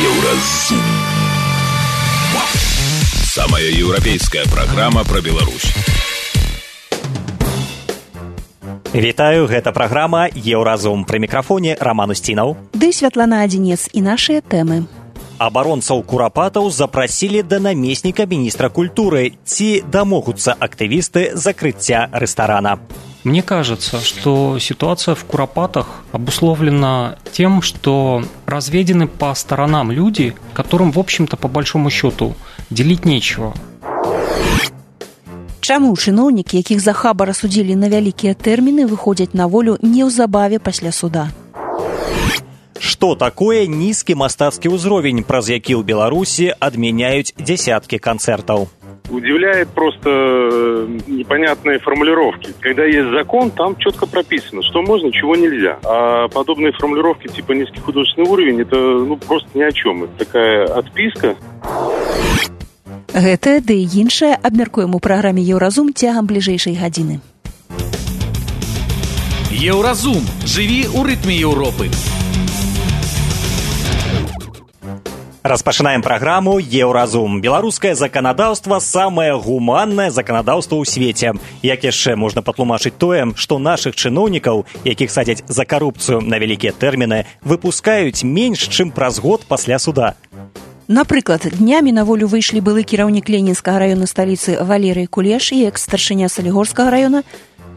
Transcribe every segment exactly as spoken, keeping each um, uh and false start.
Еўразум. Самая еўрапейская праграма пра Беларусь. Вітаю, гэта праграма Еўразум. Пры мікрафоне Роман Устінаў. Ды Святлана Адзінец і нашыя тэмы. Абаронцаў курапатаў запрасілі да намесніка міністра культуры. Ці дамогуцца актывісты закрыцця рэстарана? Мне кажется, что ситуация в Куропатах обусловлена тем, что разведены по сторонам люди, которым, в общем-то, по большому счету, делить нечего. Чаму чыноўнікі, якіх за хабар асудзілі на вялікія тэрміны, выходзяць на волю неўзабаве пасля суда? Што такое нізкі мастацкі ўзровень, праз які ў Беларусі адмяняюць дзесяткі канцэртаў? Удивляет просто непонятные формулировки. Когда есть закон, там четко прописано, что можно, чего нельзя. А подобные формулировки типа низкий художественный уровень, это ну, просто ни о чем. Это такая отписка. Гэта ды іншае абмяркуем у праграме Еўразум цягам бліжэйшай гадзіны. Еўразум. Жыві ў рытме Еўропы. Распачынаем праграму Еўразум. Беларускае заканадаўства самае гуманнае заканадаўства ў свеце. Як яшчэ можна патлумачыць тое, што нашых чыноўнікаў, якіх садзяць за карупцыю на вялікія тэрміны, выпускаюць менш, чым праз год пасля суда? Напрыклад, днямі на волю выйшлі былы кіраўнік Ленінскага раёна сталіцы Валерый Кулеш і экс-старшыня Салігорскага раёна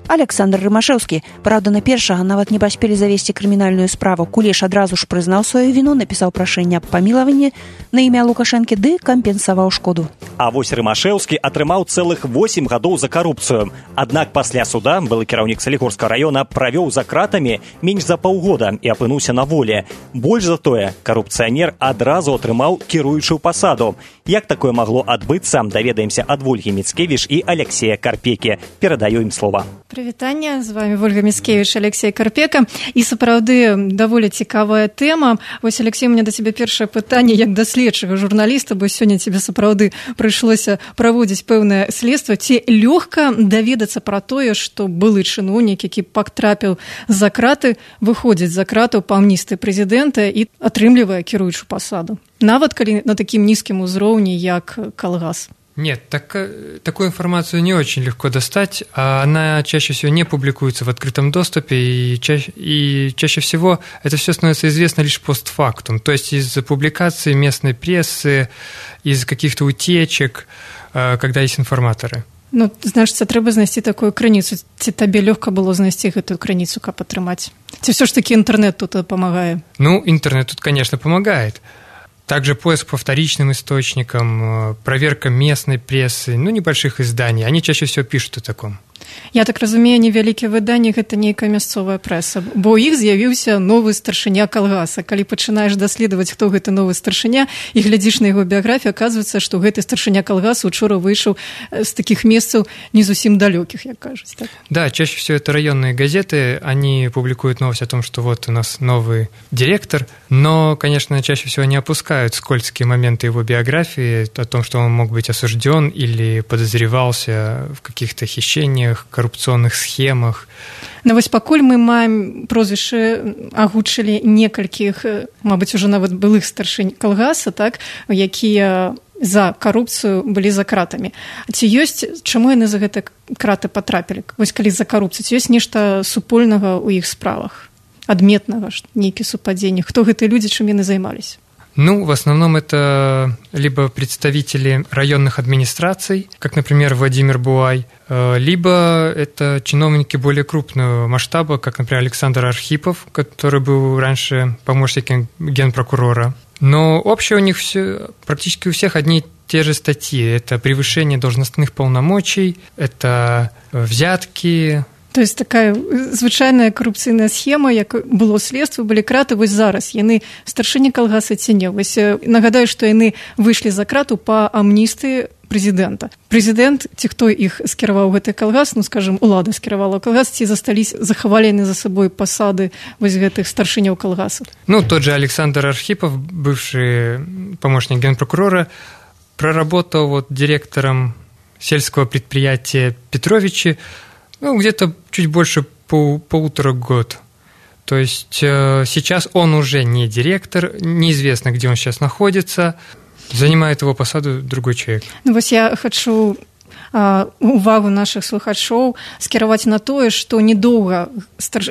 Александр Рымашэўскі. Праўда, на першага нават не паспелі завесці крымінальную справу. Кулеш адразу ж прызнаў сваю віну, напісаў прашэнне аб памілаванні на імя Лукашэнкі ды кампенсаваў шкоду. А вось Рымашэўскі атрымаў цэлых восем гадоў за карупцыю. Аднак пасля суда былы кіраўнік Салігорскага раёна правёў за кратамі менш за паўгода і апынуўся на волі. Больш за тое, карупцыянер адразу атрымаў кіруючую пасаду. Як такое магло адбыцца, даведаемся ад Вольгі Міцкевіч і Алексея Карпекі. Перадаю ім слова. Прывітанне, з вами Вольга Міцкевіч, Алексей Карпека. І сапраўды даволі цікавая тэма. Вось, Алексей, у меня да цябе першае пытанне як да следчага журналіста, бо сёння тебе сапраўды прыйшлося праводзіць пэўнае следства. Ці лёгка даведацца пра тое, што былы чыноўнік, які патрапіў за краты, выходзіць за кратаў па амністыі прэзідэнта і атрымлівае кіруючую пасаду? Нават калі на такім нізкім узроўні, як калгас. Нет, так, такую информацию не очень легко достать, а она чаще всего не публикуется в открытом доступе, и чаще, и чаще всего это все становится известно лишь постфактум, то есть из публикаций местной прессы, из каких-то утечек, когда есть информаторы. Ну, значыць, трэба знайсці такую крыніцу. Ці табе лёгка было знайсці гэтую крыніцу, каб атрымаць? Ці ўсё ж таки интернет тут памагае? Ну, интернет тут, конечно, помогает. Также поиск по вторичным источникам, проверка местной прессы, ну, небольших изданий. Они чаще всего пишут о таком. Я так разумею, невялікія выданні – гэта нейкая мясцовая прэса, бо ў іх з'явіўся новы старшыня калгаса. Калі пачынаеш даследаваць, хто гэты новы старшыня, і глядзіш на яго біяграфію, аказваецца, што гэты старшыня калгаса учора выйшаў з такіх месцаў не зусім далёкіх, як кажуць. Так? Да, чаще всего это районные газеты, они публикуют новость о том, что вот у нас новый директор, но, конечно, чаще всего не опускают скользкие моменты его биографии, о том, что он мог быть осужден или подозревался в каких-то хищениях, коррупционных схемах. Ну вось пакуль мы маем прозвішчы, агучылі некалькіх, мабыць, ужо нават былых старшынь калгаса, так, якія за карупцыю былі за кратамі. Ці ёсць, чаму яны за гэта краты патрапілі? Вось калі за карупцыю, ці ёсць нешта супольнага ў іх справах? Адметнага, нейкі супадзенні? Хто гэтыя людзі, чым яны займаліся? Ну, в основном это либо представители районных администраций, как, например, Владимир Буай, либо это чиновники более крупного масштаба, как, например, Александр Архипов, который был раньше помощником генпрокурора. Но общее у них все, практически у всех одни и те же статьи. Это превышение должностных полномочий, это взятки. То есть такая звычайная карупцыйная схема, як было следства, былі краты, вось зараз яны старшыні калгаса ці не. Вось нагадаю, што яны выйшлі за крату па амністыі прэзідэнта. Прэзідэнт, ці хто іх скіраваў гэты калгас, ну, скажем, улада скіравала калгас, ці застались, захавалі яны за сабой пасады вось гэтых старшыняў калгасу? Ну, тот же Александр Архипов, бывший помощник генпрокурора, проработал вот директором сельского предприятия Петровичи, ну, где-то чуть больше пол, полутора год. То есть э, сейчас он уже не директор, неизвестно, где он сейчас находится, занимает его посаду другой человек. Ну, вот я хочу uh, увагу наших слухачоў скіраваць на тое, што недоўга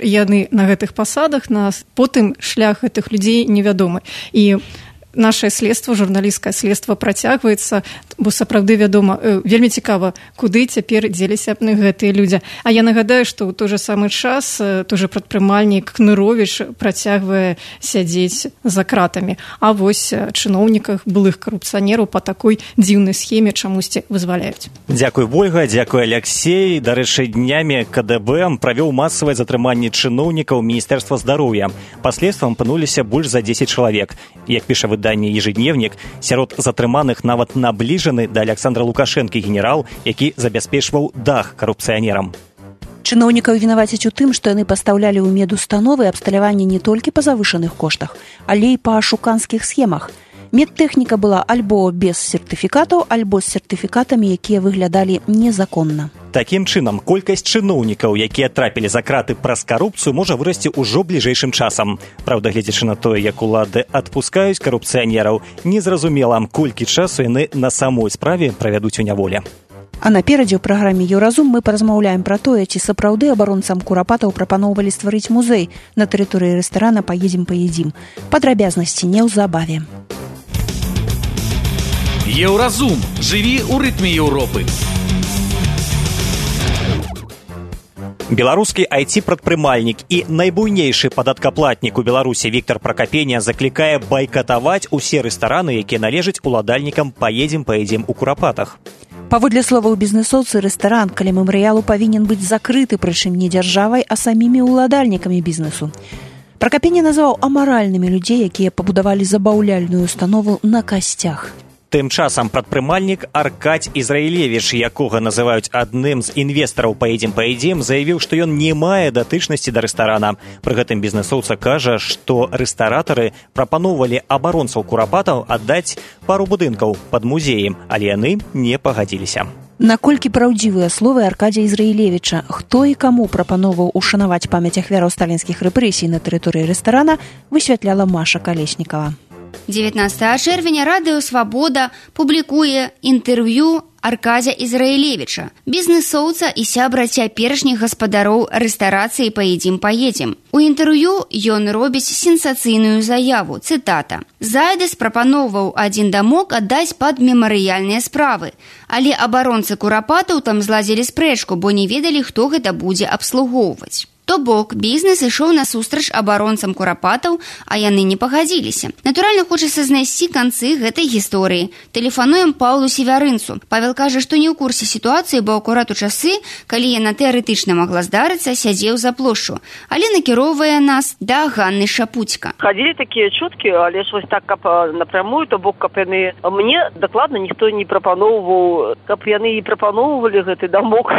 яны на гэтых пасадах, на потым шлях гэтых людзей невядомы. І наше следства, журналісцкае следства працягваецца, бо сапраўды вядома, вельмі цікава, куды цяпер дзеліся гэтыя людзі. А я нагадаю, што ў той жа самы час той жа прадпрымальнік Кныровіч працягвае сядзець за кратамі. А вось чыноўніках, былых карупцыянераў па такой дзіўнай схеме чамусьці вызваляюць. Дзякуй, Вольга, дзякуй, Алексей. Дарэчы, днямі КДБ правёў масавае затрыманне чыноўнікаў Міністэрства здароўя. Па следствам апынуліся больш за дзесяць чалавек. Як піша выданне «Ежедневник», сярод затрыманых нават набліжаны да Александра Лукашэнкі генерал, які забяспечваў дах карупцыянерам. Чыноўнікаў вінавацяць у тым, што яны пастаўлялі ў медустановы абсталяванне не толькі па завышаных коштах, але і па ашуканскіх схемах. Медтэхніка была альбо без сертыфікатаў, альбо з сертыфікатамі, якія выглядалі незаконна. Такім чынам, колькасць чыноўнікаў, якія трапілі за краты праз карупцыю, можа вырасці ўжо бліжэйшым часам. Праўда, гледзячы на тое, як улады адпускаюць карупцыянераў, незразумела, колькі часу яны на самой справе правядуць у няволі. А наперадзе ў праграме «Еўразум» мы паразмаўляем пра тое, ці сапраўды абаронцам курапатаў прапаноўвалі стварыць музей на тэрыторыі рэстарана «Паедзем, паедзім». Падрабязнасці неўзабаве. Еўразум. Жыві ў рытме Еўропы. Беларускі ай ти-прадпрымальнік і найбуйнейшы падаткаплатнік у Беларусі Віктор Пракапеня заклікае байкатаваць усе рэстараны, якія належаць уладальнікам «Паедзем, паедзім» у Курапатах. Паводле словаў бізнэсоўцы, рэстаран каля мемарыялу павінен быць закрыты, прычым не дзяржавай, а самімі ўладальнікамі бізнесу. Пракапеня назваў амаральнымі людзей, якія пабудавалі забаўляльную установу на касцях. Тым часам прадпрымальнік Аркадзь Ізраілевіч, якога называюць адным з інвестараў «Паедзем, паедзім», заявіў, што ён не мае датычнасці да рэстарана. Пры гэтым бізнэсоўца кажа, што рэстаратары прапаноўвалі абаронцаў курапатаў аддаць пару будынкаў пад музеем, але яны не пагадзіліся. Наколькі праўдзівыя словы Аркадзя Ізраілевіча, хто і каму прапаноўваў ушанаваць памяць ахвяраў сталінскіх рэпрэсій на тэрыторыі рэстарана, высвятляла Маша Калеснікава. дзевятнадцатага чэрвеня радыё «Свабода» публікуе інтэрв'ю Аркадзя Ізраілевіча, бізнэсоўца і сябра цяперашніх гаспадароў рэстарацыі «Паедзем, паедзем». У інтэрв'ю ён робіць сенсацыйную заяву, цытата. «Зайдэс прапаноўваў адзін дамок аддаць пад мемарыяльныя справы, але абаронцы курапатаў там зладзілі спрэчку, бо не ведалі, хто гэта будзе абслугоўваць». То бок, бізнес ішоў насустрач абаронцам курапатаў, а яны не пагадзіліся. Натуральна, хочацца знайсці канцы гэтай гісторыі. Тэлефануем Паўлу Севярынцу. Павел кажа, што не ў курсе сітуацыі, бо акурат у часы, калі яна тэарэтычна магла здарыцца, сядзеў за плошчу. Але накіроўвае нас да Ганны Шапуцька. Хадзілі такія чуткі, але ж вось так, каб напрямую, то бок, каб яны... Мне дакладна ніхто не прапаноўваў, каб яны і прапаноўвалі гэты дамок,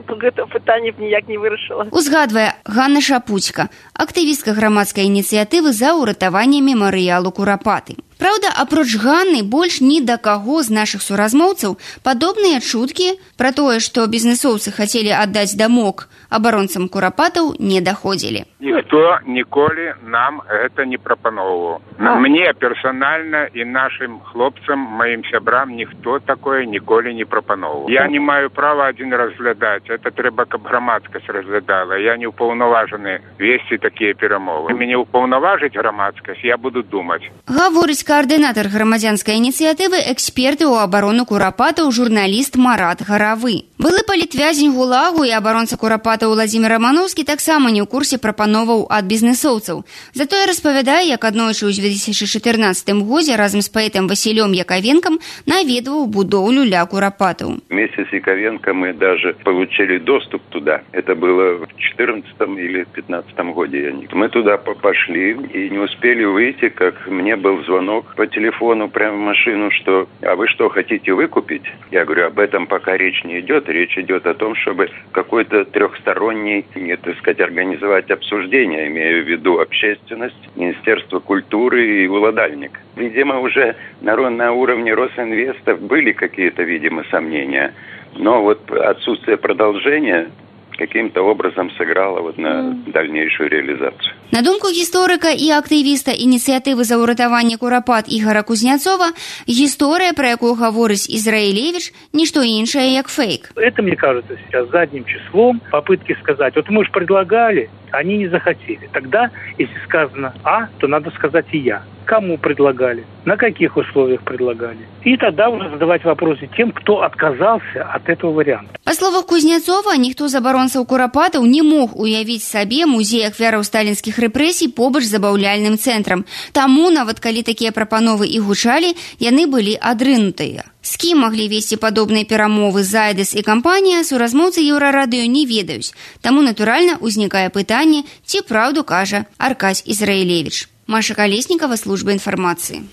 то гэта пытанне б ніяк не вырашыла. Узгадвае Ганна Шапуцька, актывістка грамадскай ініцыятывы за ўратаванне мемарыялу Курапаты. Праўда, апроч Ганны, больш ні да каго з нашых суразмоўцаў падобныя чуткі пра тое, што бізнэсоўцы хацелі аддаць дамок абаронцам курапатаў, не даходзілі. Ніхто ніколі нам гэта не прапаноўваў. Мне персанальна і нашым хлопцам, маім сябрам, ніхто такое ніколі не прапаноўваў. Я не маю права адзін разглядаць. Это трэба, каб грамадскасць разглядала. Я не ўпаўнаважаны весці такія перамовы. Мяне ўпаўнаважыць грамадскасць, я буду думаць. Гаворыць координатор громадянской инициативы, эксперты у обороны Курапатаў, журналист Марат Гаравы. Былы палітвязень ГУЛАГу і абаронца Курапатаў Владзімір Рамановскі таксама не ў курсе прапановаў ад бізнэсоўцаў. Затое распавядае, як аднойчы ў две тысячи чатырнацатым годзе разам з паэтам Васілём Яковенком наведваў будоўлю ля Курапатаў. Вместе с Яковенко мы даже получили доступ туда. Это было в четырнадцатом или пятнадцатом году. Мы туда пошли и не успели выйти, как мне был звонок по телефону прямо в машину, что «А вы что, хотите выкупить?» Я говорю, об этом пока речь не идет. Речь идет о том, чтобы какой-то трехсторонний, не, так сказать, организовать обсуждение, имею в виду общественность, Министерство культуры и уладальник. Видимо, уже на, на уровне Росинвеста были какие-то, видимо, сомнения. Но вот отсутствие продолжения каким-то образом сыграло вот на mm. дальнейшую реализацию. На думку гісторыка і актывіста ініцыятывы за ўратаванне Курапат Ігора Кузнецова, гісторыя, про якую гаворыць Израилевич, ничто іншае, як фейк. Это, мне кажется, сейчас задним числом попытки сказать, вот мы же предлагали, они не захотели. Тогда, если сказано «а», то надо сказать и «я». Кому предлагали, на каких условиях предлагали. И тогда уже задавать вопросы тем, кто отказался от этого варианта. Па словах Кузнецова, ніхто з абаронцаў Курапатаў не мог уявіць сабе музей ахвяраў сталінскіх рэпрэсій побач з забаўляльным цэнтрам. Таму, нават калі такія прапановы і гучалі, яны былі адрынутыя. З кім маглі весці падобныя перамовы Зайдэс і кампанія, суразмоўцы Еўрарадыё не ведаюць. Таму, натуральна, узнікае пытанне, ці праўду кажа Аркадзь Израилевич. Маша Колеснікова, служба інфармацыі.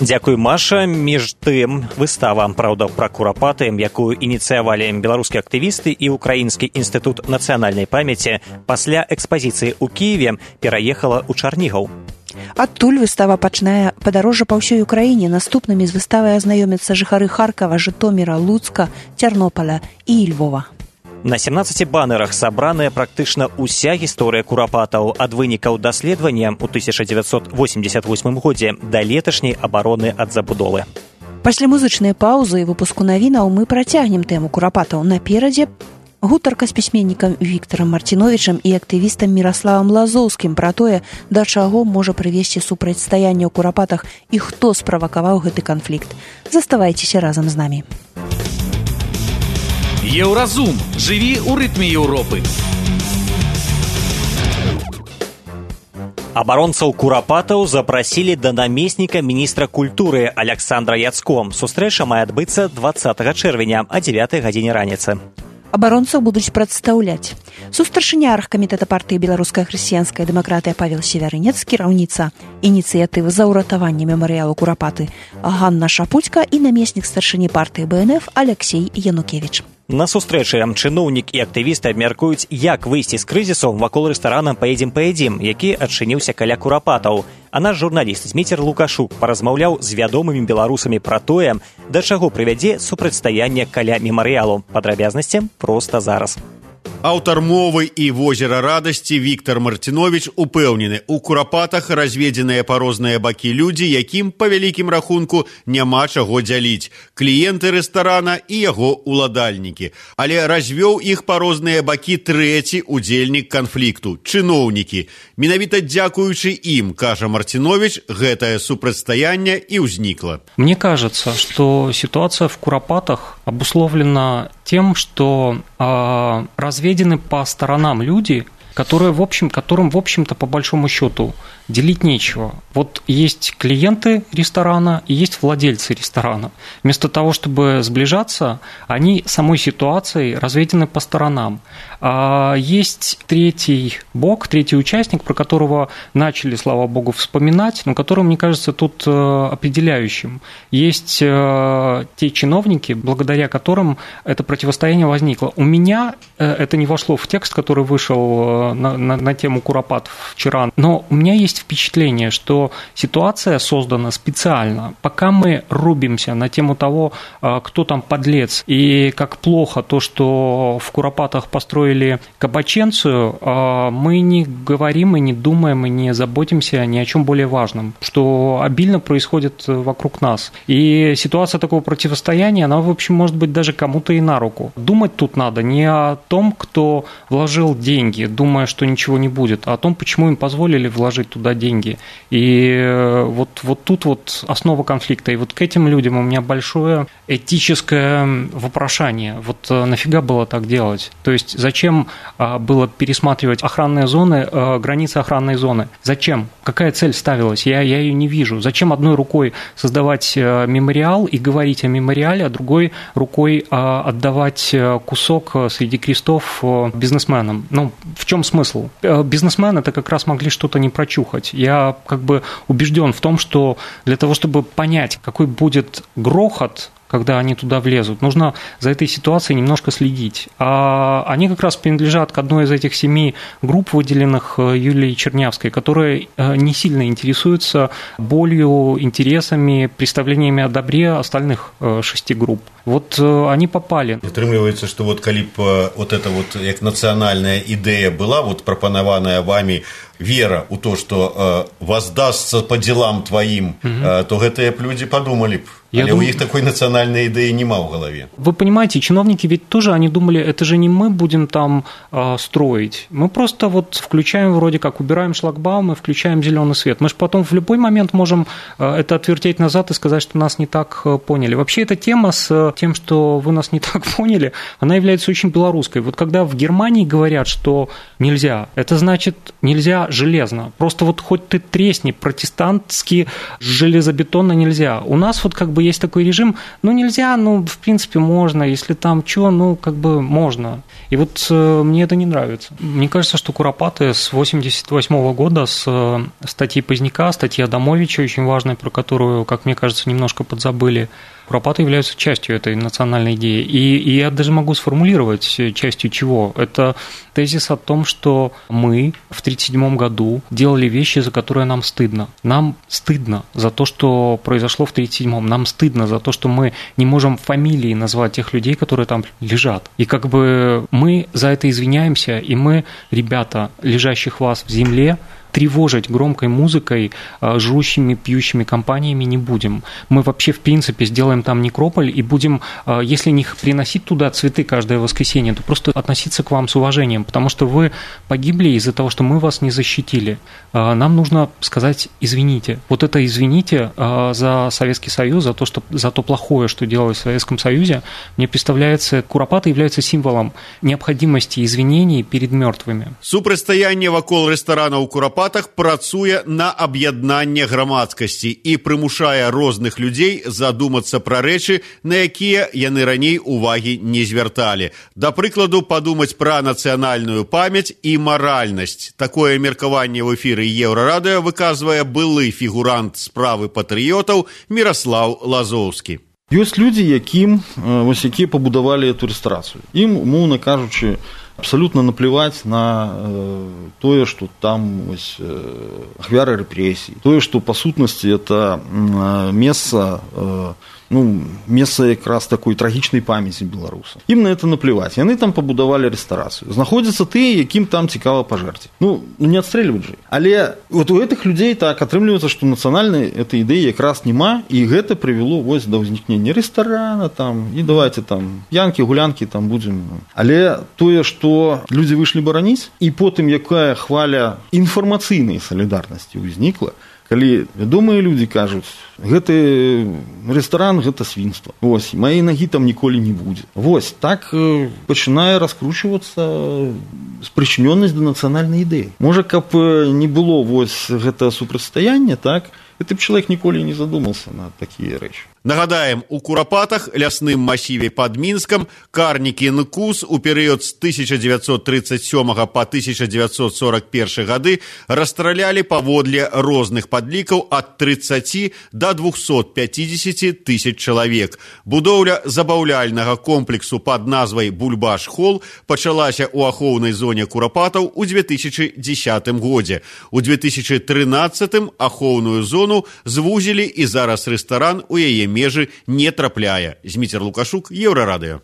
Дзякуй, Маша. Між тым, выстава «Праўда пра Курапаты», якую ініцыявалі беларускія актывісты і Украінскі інстытут нацыянальнай памяці, пасля экспазіцыі ў Кіеве пераехала ў Чарнігаў. Адтуль выстава пачнае падарожжа па ўсёй Украіне. Наступнымі з выставай азнаёмяцца жыхары Харкава, Жытоміра, Луцка, Цярнополя і Львова. На сямнаццаці банерах сабраная практычна ўся гісторыя курапатаў ад вынікаў даследавання ў тысяча дзевяцьсот восемьдесят восьмым годзе да леташняй абароны ад забудовы. Пасля музычнай паўзы і выпуску навінаў мы працягнем тэму курапатаў. Наперадзе гутарка з пісьменнікам Віктарам Марціновічам і актывістам Міраславам Лазоўскім пра тое, да чаго можа прывесці супрацьстаянне ў курапатах і хто справакаваў гэты канфлікт. Заставайцеся разам з намі. Еўразум. Жыві ў рытме Еўропы. Абаронцаў курапатаў запрасілі да намесніка міністра культуры Александра Яцко. Сустрэча мае адбыцца двадцатага чэрвеня а дзевятай гадзіне раніцы. Абаронцаў будуць прадстаўляць сустаршыня аргкамітэта партыі «Беларуская хрысціянская дэмакратыя» Павел Севярынец, кіраўніца ініцыятывы за ўратаванне мемарыялу Курапаты Ганна Шапуцька і намеснік старшыні партыі Бэ Эн Эф Алексей Янукевіч. На сустрэчы чыноўнік і актывісты абмяркуюць, як выйсці з крызісу вакол рэстарана «Паедзем, паедзім», які адчыніўся каля курапатаў. А наш журналіст Зміцер Лукашук паразмаўляў з вядомымі беларусамі пра тое, да чаго прывядзе супрацьстаянне каля мемарыялу. Падрабязнасці проста зараз. Аўтар мовы і возера радасці Віктар Марціновіч упэўнены, у курапатах разведзеныя па розныя бакі людзі, якім, па вялікім рахунку, няма чаго дзяліць. Кліенты рэстарана і яго уладальнікі. Але развёў іх па розныя бакі трэці удзельнік канфлікту – чыноўнікі. Менавіта дзякуючы ім, кажа Марціновіч, гэтае супрацьстаянне і ўзнікла. Мне кажется, что ситуация в Куропатах обусловлена тем, что э, разведены по сторонам люди, которые, в общем, которым, в общем-то, по большому счету, делить нечего. Вот есть клиенты ресторана и есть владельцы ресторана. Вместо того, чтобы сближаться, они самой ситуацией разведены по сторонам. А есть третий бок, третий участник, про которого начали, слава богу, вспоминать, но который, мне кажется, тут определяющим. Есть те чиновники, благодаря которым это противостояние возникло. У меня это не вошло в текст, который вышел на, на, на тему Куропат вчера, но у меня есть впечатление, что ситуация создана специально. Пока мы рубимся на тему того, кто там подлец, и как плохо то, что в Куропатах построили кабаченцию, мы не говорим и не думаем, и не заботимся ни о чем более важном, что обильно происходит вокруг нас. И ситуация такого противостояния, она, в общем, может быть даже кому-то и на руку. Думать тут надо не о том, кто вложил деньги, думая, что ничего не будет, а о том, почему им позволили вложить туда деньги. И вот, вот тут вот основа конфликта. И вот к этим людям у меня большое этическое вопрошание. Вот нафига было так делать? То есть зачем было пересматривать охранные зоны, границы охранной зоны? Зачем? Какая цель ставилась? Я, я ее не вижу. Зачем одной рукой создавать мемориал и говорить о мемориале, а другой рукой отдавать кусок среди крестов бизнесменам? Ну, в чем смысл? Бизнесмены это как раз могли что-то не прочухать. Я как бы убежден в том, что для того, чтобы понять, какой будет грохот, когда они туда влезут, нужно за этой ситуацией немножко следить. А они как раз принадлежат к одной из этих семи групп, выделенных Юлией Чернявской, которые не сильно интересуются болью, интересами, представлениями о добре остальных шести групп. Вот они попали. Атрымліваецца, што вот калі б вот эта вот як нацыянальная ідэя была вот прапанаваная вами, вера ў то, што э, воздастся по делам твоим, э, то гэтыя б людзі подумалі б. Я Але дум... у них такой национальной идеи нема в голове. Вы понимаете, чиновники ведь тоже, они думали, это же не мы будем там э, строить. Мы просто вот включаем вроде как, убираем шлагбаум и включаем зеленый свет. Мы же потом в любой момент можем э, это отвертеть назад и сказать, что нас не так э, поняли. Вообще эта тема с э, тем, что вы нас не так поняли, она является очень белорусской. Вот когда в Германии говорят, что нельзя, это значит нельзя железно. Просто вот хоть ты тресни, протестантски железобетонно нельзя. У нас вот как бы есть такой режим, ну нельзя, ну в принципе можно, если там что, ну как бы можно. И вот э, мне это не нравится. Мне кажется, что Куропаты с восемьдесят восьмого года, с э, статьи Поздняка, статьи Адамовича, очень важной, про которую, как мне кажется, немножко подзабыли, Куропаты являются частью этой национальной идеи. И, и я даже могу сформулировать, частью чего. Это тезис о том, что мы в тридцать седьмом году делали вещи, за которые нам стыдно. Нам стыдно за то, что произошло в тридцать седьмом. Нам стыдно за то, что мы не можем фамилии назвать тех людей, которые там лежат. И как бы мы за это извиняемся, и мы, ребята, лежащих вас в земле, тревожить громкой музыкой, жрущими, пьющими компаниями не будем. Мы вообще, в принципе, сделаем там некрополь и будем, если не приносить туда цветы каждое воскресенье, то просто относиться к вам с уважением, потому что вы погибли из-за того, что мы вас не защитили. Нам нужно сказать «извините». Вот это «извините» за Советский Союз, за то, что, за то плохое, что делалось в Советском Союзе, мне представляется, Куропаты являются символом необходимости извинений перед мертвыми. Супрацьстаянне вакол рэстаранаў Куропатах працуе на аб'яднанне грамадскасці і прымушае розных людзей задумацца пра рэчы, на якія яны раней увагі не звярталі. Да прыкладу, падумаць пра нацыянальную памяць і маральнасць. Такое меркаванне ў эфіры Еўрарадыё выказвае былы фігурант справы патрыётаў Міраслаў Лазоўскі. Ёсць людзі, якім вось якія пабудавалі эту рэстарацыю. Ім, умоўна кажучы, абсолютно наплевать на э, тое, что там ось, э, ахвяры рэпрэсій, тое, што па сутнасці это э, месца э, ну, месца якраз такой трагічнай памяці беларуса. Ім на это наплевать. Яны там пабудавалі рэстарацыю. Знаходзяцца тыя, якім там цікава пажэрці. Ну, не адстрэльваць жа. Але вот у гэтых людзей так атрымліваецца, што нацыянальнай этой ідэі якраз няма, і гэта прывяло вось да ўзнікнення рэстарана там, і давайте там п'янкі, гулянкі там будзем. Але тое, што людзі выйшлі бараніць, і потым якая хваля інфармацыйнай салідарнасці ўзнікла, калі вядомыя людзі кажуць, гэты рэстаран гэта свінства. Вось, маёй нагі там ніколі не будзе. Вось, так э, пачынае раскручвацца спрычынёнасць да нацыянальнай ідэі. Можа, каб не было вось гэта супрацьстаяння, так, гэты б чалавек ніколі не задумаўся на такія рэчы. Нагадаем, у Куропатах, лясным масіве пад Мінскам, карнікі НКУС у перыяд з тысяча дзевяцьсот трыццаць сёмага па тысяча дзевяцьсот сорак першы гады расстралялі паводле розных падлікаў ад трыццаці да двухсот пяцідзесяці тысяч чалавек. Будоўля забаўляльнага комплексу пад назвай Бульбаш-Холл пачалася ў ахоўнай зоне Куропатаў у две тысячи дзесятым годзе. У две тысячи трынаццатым ахоўную зону звузілі, і зараз рэстаран у яе межы не трапляе. Зміцер Лукашук, Еўрарадыё.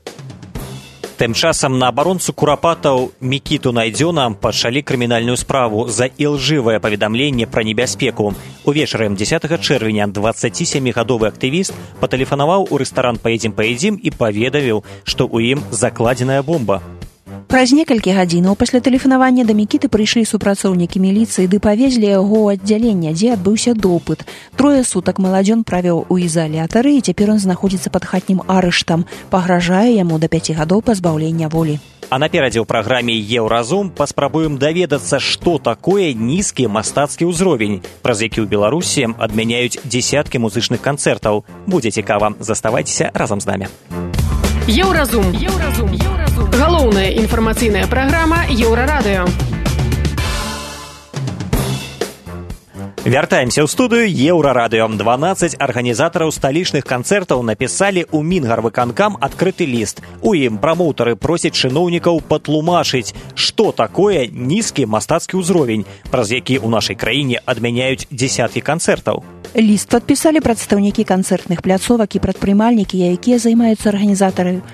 Тым часам на абаронцу Куропатаў Мікіту Найдзёна пачалі крымінальную справу за ілжывае паведамленне пра небяспеку. Увечары дзесятага чэрвеня дваццацісямігадовы актывіст патэлефанаваў у рэстаран «Паедзім-паедзім» і паведаміў, што ў ім закладзеная бомба. Праз некалькі гадзінаў пасля тэлефанавання да Мікіты прыйшлі супрацоўнікі міліцыі ды павезлі яго ў аддзяленне, дзе адбыўся допыт. Трое сутак маладзён правёў у ізалятары, і цяпер ён знаходзіцца пад хатнім арыштам. Пагражае яму да пяці гадоў пазбаўлення волі. А наперадзе ў праграме «Еўразум» паспрабуем даведацца, што такое нізкі мастацкі ўзровень, праз які ў Беларусі адмяняюць дзесяткі музычных канцэртаў. Будзе цікава. Заставайцеся разам з намі. Еўразум. Еўразум. Еўразум. Галоўная інфармацыйная праграма Еўрарадыё. Вяртаемся ў студыю Еўрарадыё. дванаццаць арганізатараў сталічных канцэртаў напісалі ў Мінгарвыканкам адкрыты ліст. У ім прамоўтары просяць чыноўнікаў патлумачыць, што такое нізкі мастацкі ўзровень, праз які ў нашай краіне адмяняюць дзесяткі канцэртаў. Ліст падпісалі прадстаўнікі канцэртных пляцовак і прадпрымальнікі, якія займаюцца арганізатараю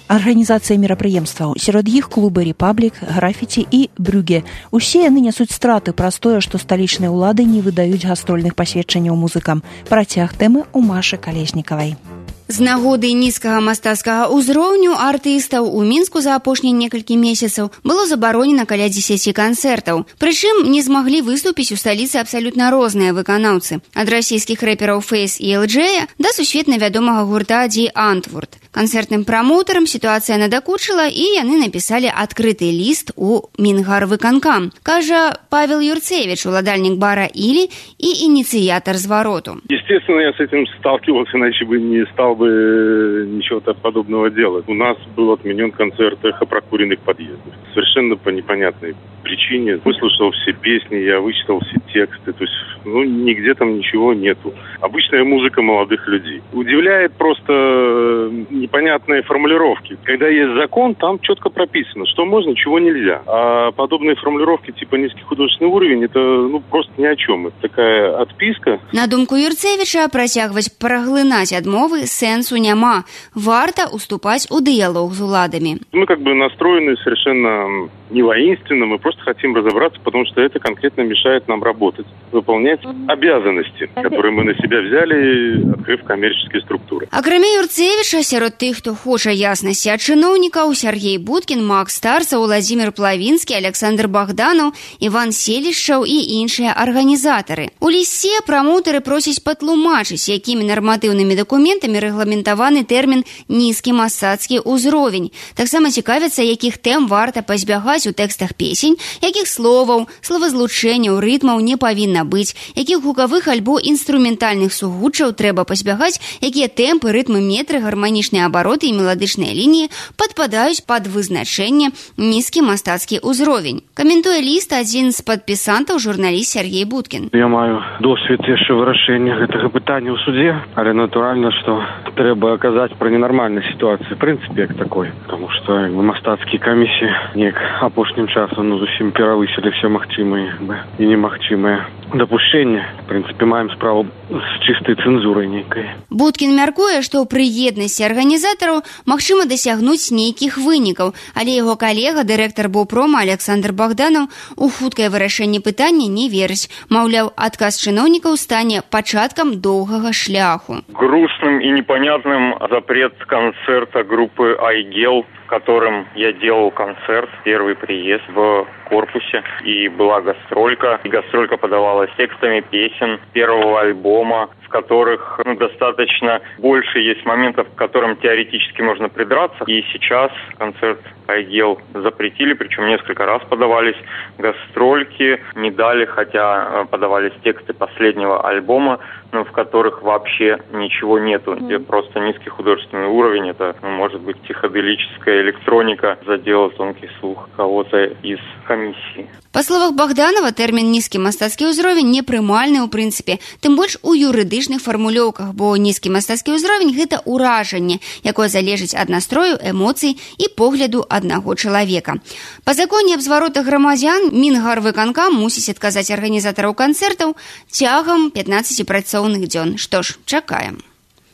арганізацыя мерапрыемстваў. Сярод іх клубы «Рэпаблік», «Графіці» і «Брюге». Усе яны нясуць страты праз тое, што сталічныя ўлады не выдаюць гастрольных пасведчанняў музыкам. Працяг тэмы ў Машы Калеснікавай. З нагоды нізкага мастацкага ўзроўню артыстаў у Мінску за апошнія некалькі месяцаў было забаронена каля дзесяці канцэртаў. Прычым не змаглі выступіць у сталіцы абсалютна розныя выканаўцы. Ад расійскіх рэпераў Фэйс і эл джей да сусветна вядомага гурта Ди Антвурд. Канцэртным прамоўтарам сітуацыя надакучыла, і яны напісалі адкрыты ліст у Мінгарвыканкам, кажа Павел Юрцевич, уладальнік бара «Ілі» і ініцыятар звароту. Естественно, я с этим сталкивался, иначе бы не стал бы ничего подобного делать. У нас был отменен концерт «Эхо прокуренных подъездов». Совершенно по непонятной причине. Выслушал все песни, я вычитал все тексты. То есть, ну, нигде там ничего нету. Обычная музыка молодых людей. Удивляет просто непонятные формулировки. Когда есть закон, там четко прописано, что можно, чего нельзя. А подобные формулировки типа низкий художественный уровень, это ну просто ни о чем. Это такая отписка. На думку Юрцевича, працягваць праглынаць адмовы сэнсу няма. Варта уступаць у дыялог з уладамі. Мы как бы настроены совершенно не воинственно, мы просто хотим разобраться, потому что это конкретно мешает нам работать, выполнять обязанности, которые мы на себя взяли, открыв коммерческие структуры. Акрамя Юрцевича, сярод тых, хто хоча яснасці ад чыноўнікаў, Сергей Будкін, Макс Старцаў, Владзімир Плавінскі, Александр Богданаў, Іван Селішчаў і іншыя арганізатары. У лісце прамоўтары просяць патлумачыць, якімі нарматыўнымі дакументамі рэгламентаваны тэрмін «нізкі мастацкі ўзровень». Таксама цікавяцца, якіх тэм варта пазбягаць у тэкстах песень, якіх словаў, словазлучэнняў, рытмаў не павінна быць, якіх гукавых альбо інструментальных сугуччаў трэба пазбягаць, якія тэмпы, рытмы, метры, гарманічныя абароты і меладычныя лініі падпадаюць пад вызначэнне «нізкі мастацкі ўзровень». Каментуе ліст адзін з падпісантаў, журналіст Сергей Будкін. Я маю досвед яшчэ вырашэння гэтага пытання ў судзе, але натуральна, што трэба казаць пра ненармальнай сітуацыі, в прынцыпе, як такой, тому што мастацкія камісіі неяк апошнім часам ну, зусім перавысілі все магчымыя і немагчымыя дапушчэнне. В прынцыпе, маем справу з чыстай цэнзурай нейкай. Будкін мяркуе, што пры еднасці арганізатараў магчыма дасягнуць нейкіх вынікаў, але яго калега, дырэктар Баўпрома Александр Богданаў, у хуткае вырашэнне пытання не верыць. Маўляў, адказ чыноўнікаў стане пачаткам доўгага шляху. Грустным и непонятным запрет концерта группы «Айгел», в котором я делал концерт, первый приезд в корпусе, и была гастролька. И гастролька подавалась текстами песен первого альбома, в которых ну, достаточно больше есть моментов, к которым теоретически можно придраться. И сейчас концерт «Айгел» запретили, причем несколько раз подавались гастрольки, не дали, хотя подавались тексты последнего альбома, но в которых вообще ничего нету, где просто низкий художественный уровень, это ну, может быть психоделическая электроника, задела тонкий слух кого-то из комиссии. Па словах Богданова, тэрмін «нізкі мастацкі ўзровень» непрымальны ў прынцыпе, тым больш у юрыдычных фармулёўках, бо нізкі мастацкі ўзровень – гэта ўражанне, якое залежыць ад настрою, эмоцый і погляду аднаго чалавека. Па законе аб зваротах грамадзян Мінгарвыканкам мусіць адказаць арганізатараў канцэртаў цягам пятнаццаці працоўных дзён. Што ж, чакаем.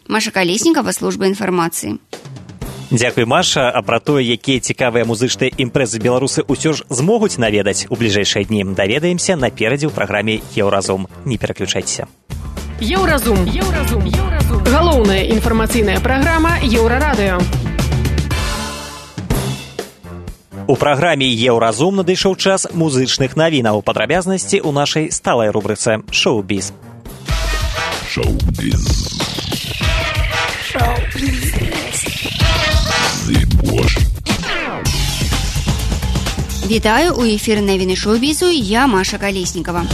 Маша Калеснікава, служба інфармацыі. Дзякуй, Маша. А пра тое, якія цікавыя музычныя імпрэзы беларусы ўсё ж змогуць наведаць у бліжэйшыя дні, даведаемся наперадзе ў праграме «Еўразум». Не пераключайцеся. Еўразум. Еўразум. Еўразум. Галоўная інфармацыйная праграма «Еўрарадыё». У праграме «Еўразум» надышоў час музычных навінаў. Падрабязнасці ў нашай сталай рубрыцы «Шоу-біз». Шоу-біз. Шоу-біз. Вітаю, у эфіры навіны шоу-бізу, я Маша Калеснікава.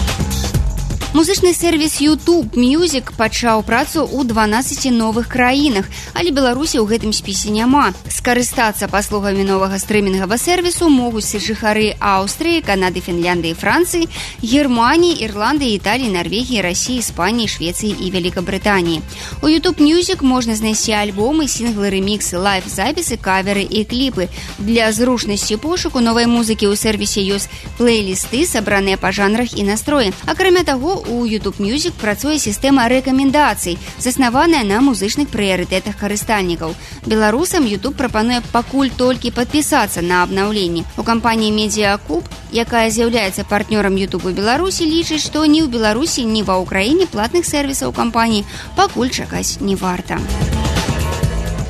Музычны сервіс YouTube Music пачаў працу ў дванаццаці новых краінах, але Беларусі ў гэтым спісе няма. Скарыстацца паслугамі новага стрымінгавага сервісу могуць жыхары Аўстрыі, Канады, Фінляндыі, Францыі, Германіі, Ірландыі, Італіі, Нарвегіі, Расіі, Іспаніі, Швецыі і Вялікабрытаніі. У YouTube Music можна знайсці альбомы, сінглы, рэміксы, лайв-запісы, каверы і кліпы. Для зручнасці пошуку новай музыкі ў сервісе ёсць плейлісты, сабраныя па жанрах і настроі. Акрамя таго, у YouTube Music працуе сістэма рэкамендацый, заснаваная на музычных прыярытэтах карыстальнікаў. Беларусам YouTube прапануе пакуль толькі падпісацца на абнаўленне. У кампаніі Медиакуб, якая з'яўляецца партнёрам YouTube у Беларусі, лічыць, што ні ў Беларусі, ні ва Ўкраіне платных сервісаў кампаніі пакуль чакаць не варта.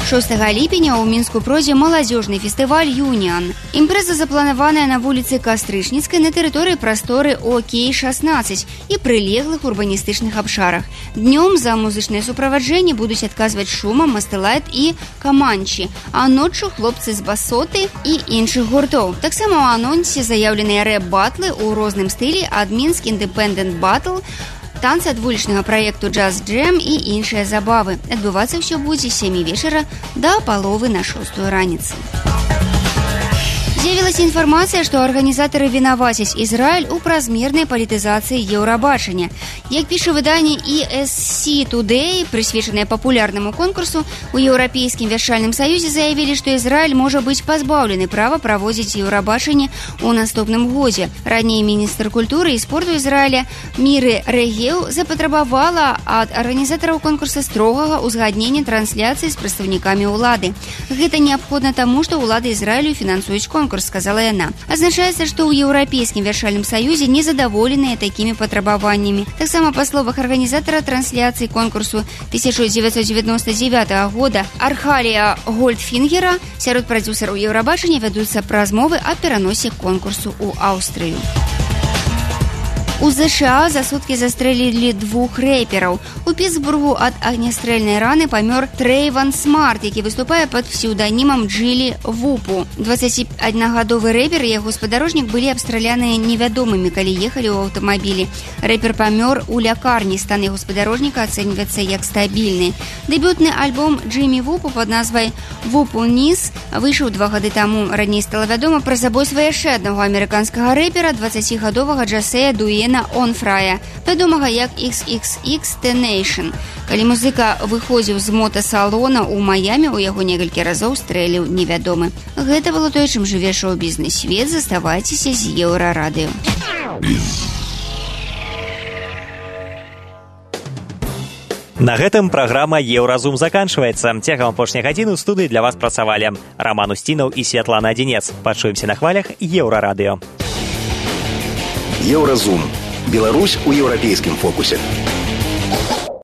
шостага ліпеня ў Мінску пройдзе маладзёжны фестываль «Юніан». Імпрэза запланаваная на вуліцы Кастрычніцкай на тэрыторыі прасторы Окей шаснаццаць і прылеглых урбаністычных абшарах. Днём за музычнае суправаджэнне будуць адказваць Шума, Мастэлайт і Каманчі, а ноччу хлопцы з Басоты і іншых гуртоў. Таксама ў анонсе заяўленыя рэп-батлы ў розным стылі ад Мінск Independent Battle, танцы ад вулічнага праекту «Джаз Джэм» і іншыя забавы. Адбывацца ўсё будзе з сямі вечара да паловы на шостую раніцы. З'явілася інфармацыя, што арганізатары вінавацяць Ізраіль у празмернай палітызацыі Еўрабачання. Як піша выданне и эс си Today, прысвечанае папулярнаму конкурсу, у Еўрапейскім вяршальным саюзе заявілі, што Ізраіль можа быць пазбаўлены права праводзіць Еўрабачанне ў наступным годзе. Раней міністр культуры і спорту Ізраіля Міры Рэгеў запатрабавала ад арганізатараў конкурса строгага ўзгаднення трансляцыі з прадстаўнікамі ўлады. Гэта неабходна таму, што ўлады Ізраілю фінансуюць конкурс, сказала яна. Азначаецца, што ў Еўрапейскім вяршальным саюзе незадаволеныя такімі патрабаваннямі. Таксама па словах арганізатара трансляцыі конкурсу тысяча дзевяцьсот дзевяносто девятого года Архалія Гольдфінгера сярод прадзюсараў Еўрабачання вядуцца размовы аб пераносе конкурсу ў Аўстрыю. У ЗША за суткі застрэлілі двух рэпераў. У Пітсбургу ад агнястрэльнай раны памёр Трэйван Смарт, які выступае пад псеўданімам Джилі Вупу. дваццаціпаднагадовы рэпер і яго спадарожнік былі абстраляныя невядомымі, калі ехалі ў аўтамабілі. Рэпер памёр у лякарні, стан яго спадарожніка ацэньваецца як стабільны. Дэбютны альбом Джимі Вупу пад назвай «Вупу Низ» выйшаў два гады таму. Раней стала вядома пра забойства яшчэ аднаго амерыканскага рэпера, дваццацігадовага Джасея Дуэна Онфрая, вядомага як ікс ікс ікс Тенэйшн. Калі музыка выходзіў з мотасалона ў Маямі, у яго некалькі разоў стрэліў невядомы. Гэта было тое, чым жыве шоу-бізнес свет. Заставайцеся з Еўрарадыё. На гэтым праграма «Еўразум» заканчваецца. Цягам апошняй гадзіны ў студыі для вас працавалі Раман Устінаў і Святлана Адзінец. Пачуемся на хвалях Еўрарадыё. Еўразум. Беларусь у еўрапейскім фокусе.